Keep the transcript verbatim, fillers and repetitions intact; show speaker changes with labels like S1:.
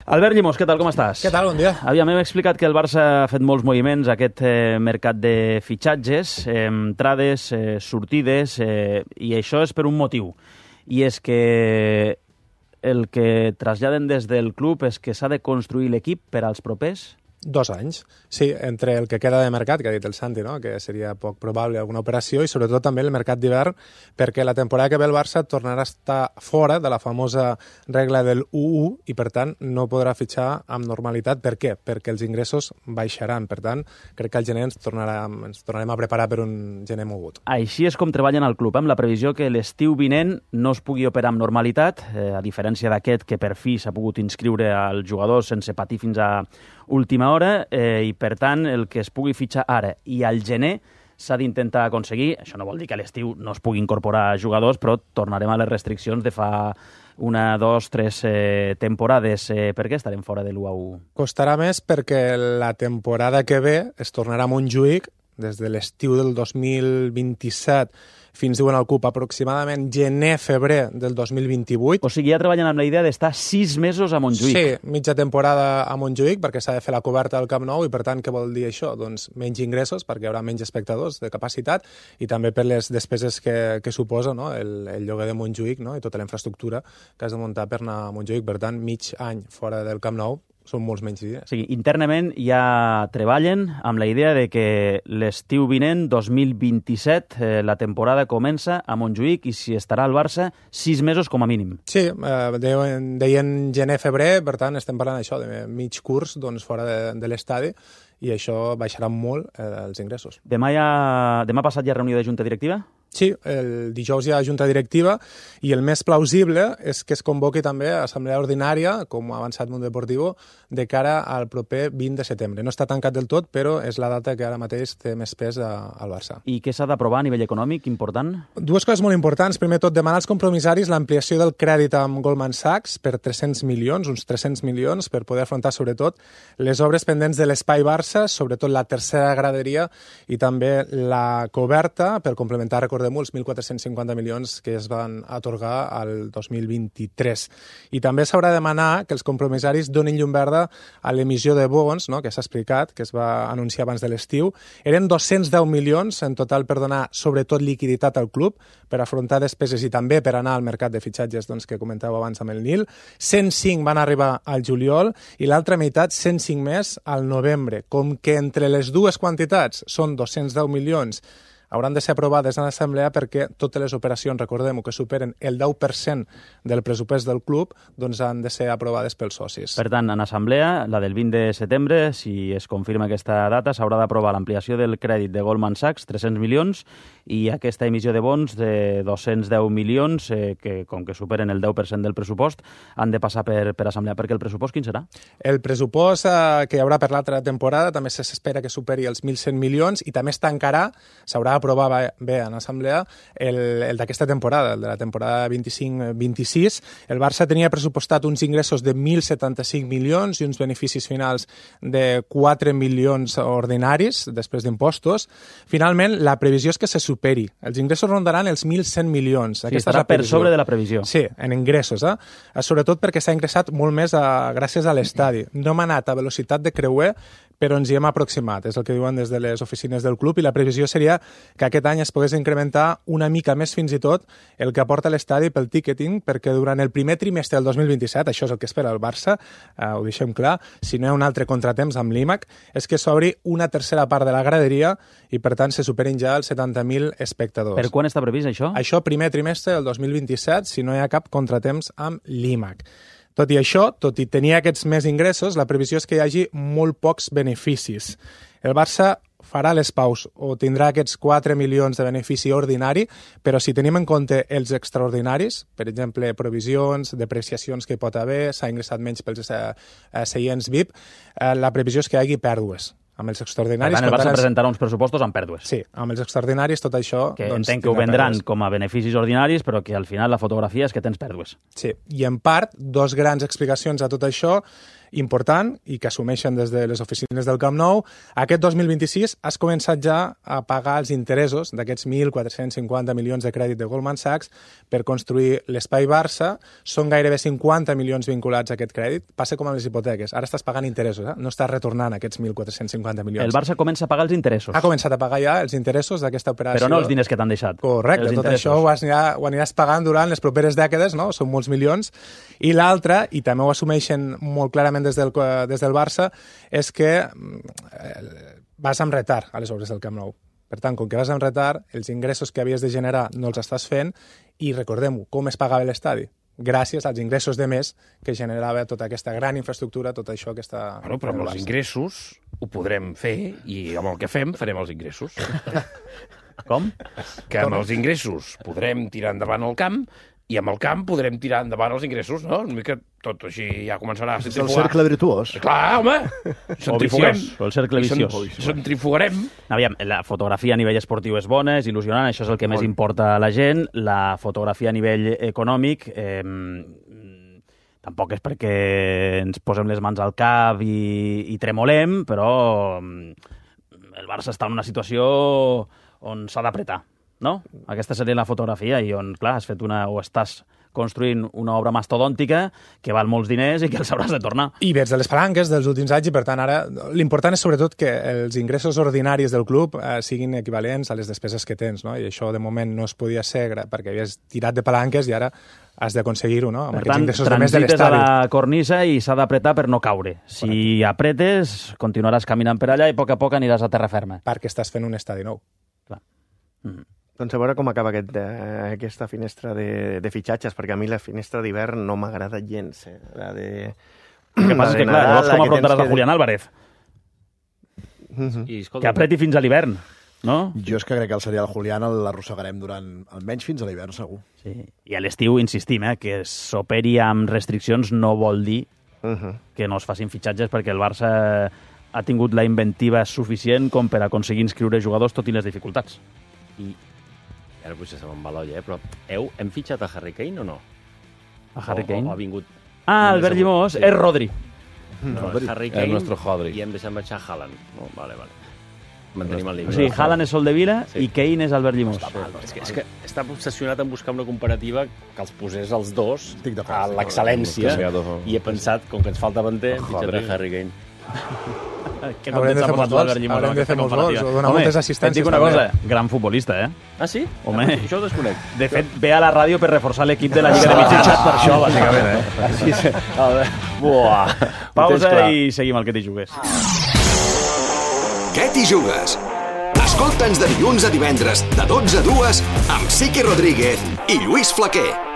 S1: Albert Llimós, què tal, com estàs?
S2: Què tal, bon dia.
S1: Aviam, hem explicat que el Barça ha fet molts moviments aquest eh, mercat de fitxatges, eh, entrades, eh, sortides, eh, i això és per un motiu. I és que el que traslladen des del club és que s'ha de construir l'equip per als propers...
S2: Dos anys. Sí, entre el que queda de mercat, que ha dit el Santi, no? Que seria poc probable alguna operació, i sobretot també el mercat d'hivern, perquè la temporada que ve el Barça tornarà a estar fora de la famosa regla del u u i, per tant, no podrà fitxar amb normalitat. Per què? Perquè els ingressos baixaran. Per tant, crec que al gener ens, tornarà, ens tornarem a preparar per un gener mogut.
S1: Així és com treballen al club, amb la previsió que l'estiu vinent no es pugui operar amb normalitat, eh, a diferència d'aquest que per fi s'ha pogut inscriure al jugador sense patir fins a última hora, eh, i per tant el que es pugui fitxar ara i al gener s'ha d'intentar aconseguir. Això no vol dir que a l'estiu no es pugui incorporar jugadors, però tornarem a les restriccions de fa una, dos, tres eh, temporades. Eh, per què estarem fora de l'u a u?
S2: Costarà més perquè la temporada que ve es tornarà a Montjuïc des de l'estiu del dos mil vint-i-set fins, diuen al CUP, aproximadament gener-febrer del dos mil vint-i-vuit.
S1: O sigui, ja treballen amb la idea d'estar sis mesos a Montjuïc.
S2: Sí, mitja temporada a Montjuïc, perquè s'ha de fer la coberta del Camp Nou, i per tant, què vol dir això? Doncs menys ingressos, perquè hi haurà menys espectadors de capacitat, i també per les despeses que, que suposa, no? el, el lloguer de Montjuïc, no? I tota la infraestructura que has de muntar per anar a Montjuïc. Per tant, mig any fora del Camp Nou són molts menys dies.
S1: O sigui, internament ja treballen amb la idea de que l'estiu vinent, dos mil vint-i-set, eh, la temporada comença a Montjuïc i s'hi estarà al Barça sis mesos com a mínim.
S2: Sí, eh, deien, deien gener-febrer, per tant estem parlant d'això, de mig curs doncs, fora de, de l'estadi, i això baixarà molt eh, els ingressos.
S1: Demà, ja, demà passat hi ha reunió de junta directiva?
S2: Sí, el dijous hi ha junta directiva i el més plausible és que es convoqui també assemblea ordinària, com ha avançat Mundo Deportivo, de cara al proper vint de setembre. No està tancat del tot, però és la data que ara mateix té més pes a, al Barça.
S1: I què s'ha d'aprovar a nivell econòmic important?
S2: Dues coses molt importants. Primer tot, demanar als compromissaris l'ampliació del crèdit amb Goldman Sachs per tres-cents milions, uns tres-cents milions, per poder afrontar sobretot les obres pendents de l'Espai Barça, sobretot la tercera graderia i també la coberta, per complementar, recordem, els mil quatre-cents cinquanta milions que es van atorgar al dos mil vint-i-tres. I també s'haurà de demanar que els compromissaris donin llum verda a l'emissió de bons, no?, que s'ha explicat, que es va anunciar abans de l'estiu. Eren dos-cents deu milions en total per donar sobretot liquiditat al club, per afrontar despeses i també per anar al mercat de fitxatges, doncs, que comentàveu abans amb el Nil. cent cinc van arribar al juliol i l'altra meitat, cent cinc més, al novembre. Com que entre les dues quantitats són dos-cents deu milions, hauran de ser aprovades en l'assemblea perquè totes les operacions, recordem-ho, que superen el deu per cent del pressupost del club, doncs han de ser aprovades pels socis.
S1: Per tant, en assemblea, la del vint de setembre, si es confirma aquesta data, s'haurà d'aprovar l'ampliació del crèdit de Goldman Sachs, tres-cents milions, i aquesta emissió de bons de dos-cents deu milions, eh, que com que superen el deu per cent del pressupost, han de passar per, per assemblea. Perquè el pressupost quin serà?
S2: El pressupost eh, que hi haurà per l'altra temporada també s'espera que superi els mil cent milions i també es tancarà, s'haurà aprovar bé en assemblea el, el d'aquesta temporada, el de la temporada vint-i-cinc vint-i-sis. El Barça tenia pressupostat uns ingressos de mil setanta-cinc milions i uns beneficis finals de quatre milions ordinaris, després d'impostos. Finalment, la previsió és que se superi. Els ingressos rondaran els mil cent milions.
S1: Sí, aquesta estarà per sobre de la previsió.
S2: Sí, en ingressos. Eh? Sobretot perquè s'ha ingressat molt més a, gràcies a l'estadi. No hem anat a velocitat de creuer, però ens hi hem aproximat, és el que diuen des de les oficines del club, i la previsió seria que aquest any es pogués incrementar una mica més fins i tot el que aporta l'estadi pel ticketing, perquè durant el primer trimestre del dos mil vint-i-set, això és el que espera el Barça, eh, ho deixem clar, si no hi ha un altre contratemps amb l'I M A C, és que s'obri una tercera part de la graderia i per tant se superin ja els setanta mil espectadors.
S1: Per quan està previst això?
S2: Això primer trimestre del dos mil vint-i-set, si no hi ha cap contratemps amb l'I M A C. Tot i això, tot i tenir aquests més ingressos, la previsió és que hi hagi molt pocs beneficis. El Barça farà les paus o tindrà aquests quatre milions de benefici ordinari, però si tenim en compte els extraordinaris, per exemple, provisions, depreciacions que hi pot haver, s'ha ingressat menys pels eh, seients V I P, eh, la previsió és que hi hagi pèrdues. Amb els extraordinaris...
S1: Per tant, el Barça presentarà uns pressupostos amb pèrdues.
S2: Sí, amb els extraordinaris tot això...
S1: Que
S2: doncs,
S1: entenc que ho vendran pèrdues com a beneficis ordinaris, però que al final la fotografia és que tens pèrdues.
S2: Sí, i en part, dos grans explicacions a tot això important i que assumeixen des de les oficines del Camp Nou. Aquest dos mil vint-i-sis has començat ja a pagar els interessos d'aquests mil quatre-cents cinquanta milions de crèdit de Goldman Sachs per construir l'Espai Barça. Són gairebé cinquanta milions vinculats a aquest crèdit. Passa com amb les hipoteques. Ara estàs pagant interessos, eh? No estàs retornant aquests mil quatre-cents cinquanta milions.
S1: El Barça comença a pagar els interessos.
S2: Ha començat a pagar ja els interessos d'aquesta operació.
S1: Però no els diners que t'han deixat.
S2: Correcte, tot això ho, anirà, ho aniràs pagant durant les properes dècades, no? Són molts milions. I l'altre, i també ho assumeixen molt clarament des del, des del Barça, és que eh, vas amb retard a les obres del Camp Nou. Per tant, com que vas amb retard, els ingressos que havies de generar no els estàs fent, i recordem-ho, com es pagava l'estadi? Gràcies als ingressos de més que generava tota aquesta gran infraestructura, tot això que està...
S3: Bueno, però amb els ingressos ho podrem fer i amb el que fem farem els ingressos.
S1: Com?
S3: Que amb els ingressos podrem tirar endavant el camp i amb el camp podrem tirar endavant els ingressos, no? Una mica tot així ja començarà a centrifugar.
S4: És el cercle virtuós.
S3: Clar, home! Centrifuguem.
S1: O el cercle viciós.
S3: Centrifugarem.
S1: Aviam, la fotografia a nivell esportiu és bona, és il·lusionant, això és el que més importa a la gent. La fotografia a nivell econòmic eh, tampoc és perquè ens posem les mans al cap i, i tremolem, però el Barça està en una situació on s'ha d'apretar, no? Aquesta seria la fotografia i on, clar, has fet una, o estàs construint una obra mastodòntica que val molts diners i que els hauràs de tornar.
S2: I vets de les palanques dels últims anys i, per tant, ara l'important és sobretot que els ingressos ordinaris del club eh, siguin equivalents a les despeses que tens, no? I això de moment no es podia ser perquè havies tirat de palanques i ara has d'aconseguir-ho, no? Amb
S1: per tant, transites a la cornisa i s'ha d'apretar per no caure. Si Correcte. apretes, continuaràs caminant per allà i a poc a poc aniràs a terra ferma.
S2: Perquè estàs fent un estadi nou.
S1: Clar. Mm.
S4: Doncs a veure com acaba aquest, eh, aquesta finestra de, de fitxatges, perquè a mi la finestra d'hivern no m'agrada gens. Eh? La de...
S1: El que passa és que, clar, llavors com afrontaràs a Julián Álvarez?
S4: Mm-hmm.
S1: I, escolta, que apreti fins a l'hivern, no?
S5: Jo és que crec que el serial Julián l'arrossegarem durant almenys fins a l'hivern, segur.
S1: Sí. I a l'estiu, insistim, eh, que s'operi amb restriccions no vol dir uh-huh. que no es facin fitxatges, perquè el Barça ha tingut la inventiva suficient com per aconseguir inscriure jugadors tot i les dificultats.
S6: I ara potser se me'n va l'olla, eh? Però heu, hem fitxat a Harry Kane o no?
S1: A Harry Kane?
S6: O, o ha vingut...
S1: Ah, Albert Llimós, sí. És Rodri.
S6: No,
S3: Rodri.
S6: és Harry Kane
S3: el nostre Rodri.
S6: I hem deixat marxar Haaland. No, vale, vale. Mantenim el límit.
S1: O sigui, Haaland és Soldevila sí. i Kane és Albert Llimós.
S6: Sí. És, que, és que està obsessionat en buscar una comparativa que els posés els dos a l'excel·lència i he pensat, com que ens falta davanter, hem fitxat a Harry Kane.
S1: Que haurem de fer molts gols,
S2: haurem de fer molts gols, o donar moltes assistències.
S1: Et dic una cosa, gran futbolista, eh?
S6: Ah, sí?
S1: Home,
S6: ah, això ho desconec.
S1: De fet, ve a la ràdio per reforçar l'equip de la Lliga de Mitjans.
S3: Ah, per això, bàsicament, eh?
S6: Sí, sí. Buah.
S1: Pausa i seguim el Que t'hi jugues.
S7: Què t'hi jugues? Escolta'ns de dilluns a divendres, de dotze a dues, amb Sique Rodríguez i Lluís Flaquer.